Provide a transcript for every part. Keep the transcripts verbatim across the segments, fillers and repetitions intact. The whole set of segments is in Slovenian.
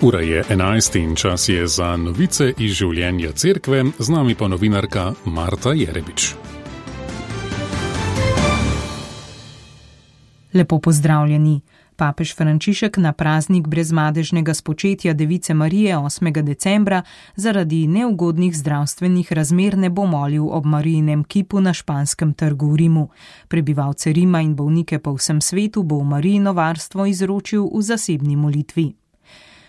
Ura je enajst in čas je za novice iz življenja cerkve, z nami pa novinarka Marta Jerebič. Lepo pozdravljeni. Papež Frančišek na praznik brezmadežnega spočetja Device Marije osmega decembra zaradi neugodnih zdravstvenih razmer ne bo molil ob Marijinem kipu na Španskem trgu v Rimu. Prebivalce Rima in bolnike po vsem svetu bo v Marijino varstvo izročil v zasebni molitvi.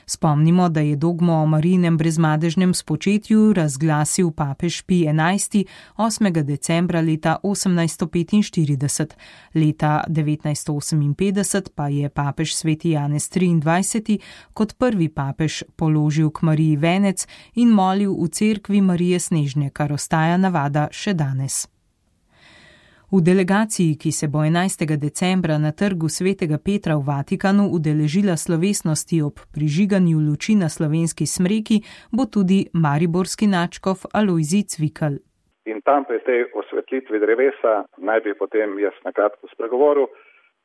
Spomnimo, da je dogmo o Marijinem brezmadežnem spočetju razglasil papež Pij enajsti osmega decembra leta osemnajststo petinštirideset. Leta devetnajststo oseminpetdeset pa je papež sveti Janez triindvajseti kot prvi papež položil k Mariji venec in molil v cerkvi Marije Snežne, kar ostaja navada še danes. V delegaciji, ki se bo enajstega decembra na trgu svetega Petra v Vatikanu udeležila slovesnosti ob prižiganju luči na slovenski smreki, bo tudi mariborski nadškof Alojzij Cvikl. In tam pri tej osvetlitvi drevesa naj bi potem jaz na kratko spregovoril.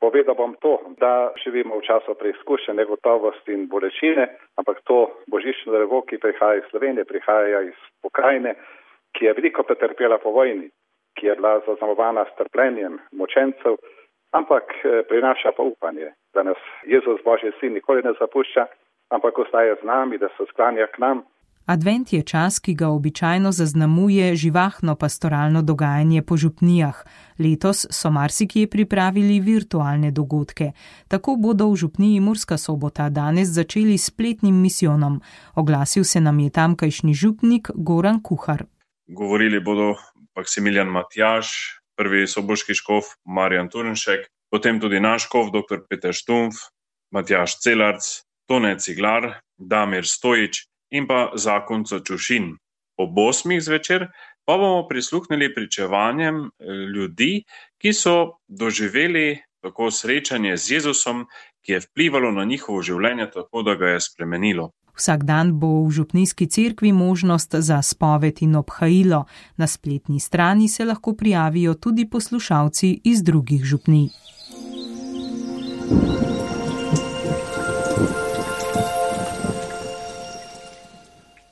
Povedal bom to, da živimo v času preizkušenj, negotovosti in bolečine, ampak to božično drevo, ki prihaja iz Slovenije, prihaja iz pokrajine, ki je veliko pretrpela po vojni, ki je bila zaznamovana s trpljenjem mučencev, ampak prinaša pa upanje, da nas Jezus Božji sin nikoli ne zapušča, ampak ostaje z nami, da se sklanja k nam. Advent je čas, ki ga običajno zaznamuje živahno pastoralno dogajanje po župnijah. Letos so marsikje pripravili virtualne dogodke. Tako bodo v župniji Murska Sobota danes začeli s spletnim misijonom. Oglasil se nam je tamkajšnji župnik Goran Kuhar. Govorili bodo Maksimilijan Matjaž, prvi soboški škof Marjan Turnšek, potem tudi naš škof dr. Peter Štumpf, Matjaž Celarc, Tone Ciglar, Damir Stojič in pa Zakonco Čušin. Ob osmih zvečer pa bomo prisluhnili pričevanjem ljudi, ki so doživeli tako srečanje z Jezusom, ki je vplivalo na njihovo življenje tako, da ga je spremenilo. Vsak dan bo v župnijski cerkvi možnost za spoved in obhajilo. Na spletni strani se lahko prijavijo tudi poslušalci iz drugih župnij.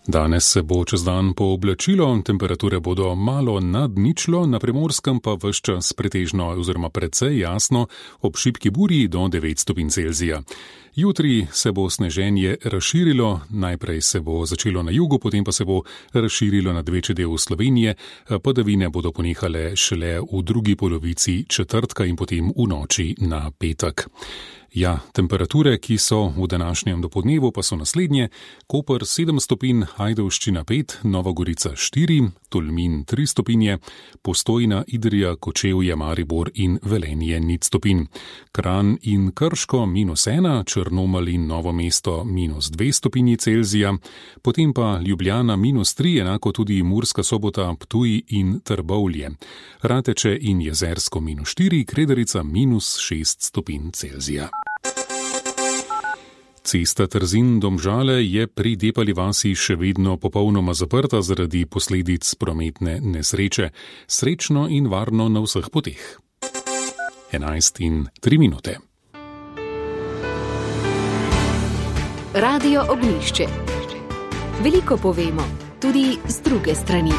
Danes se bo čez dan pooblačilo, temperature bodo malo nad ničlo, na Primorskem pa ves čas pretežno oziroma precej jasno, ob šibki burji do devet stopinj Celzija. Jutri se bo sneženje razširilo, najprej se bo začelo na jugu, potem pa se bo razširilo nad večji del Slovenije, padavine bodo ponehale šele v drugi polovici četrtka in potem v noči na petek. Ja, temperature, ki so v današnjem dopoldnevu, pa so naslednje: Koper sedem stopinj, Ajdovščina pet, Nova Gorica štiri, Tolmin tri stopinje, Postojna, Idrija, Kočevje, Maribor in Velenje nič stopinj. Kranj in Krško minus ena, Črnomelj in Novo mesto minus dve stopinji Celzija, potem pa Ljubljana minus tri, enako tudi Murska Sobota, Ptuj in Trbovlje. Rateče in Jezersko minus štiri, Kredarica minus šest stopinj Celzija. Cesta Trzin-Domžale je pri Depali vasi še vedno popolnoma zaprta zaradi posledic prometne nesreče. Srečno in varno na vseh poteh. enajst in tri minute. Radio Ognjišče. Veliko povemo, tudi z druge strani.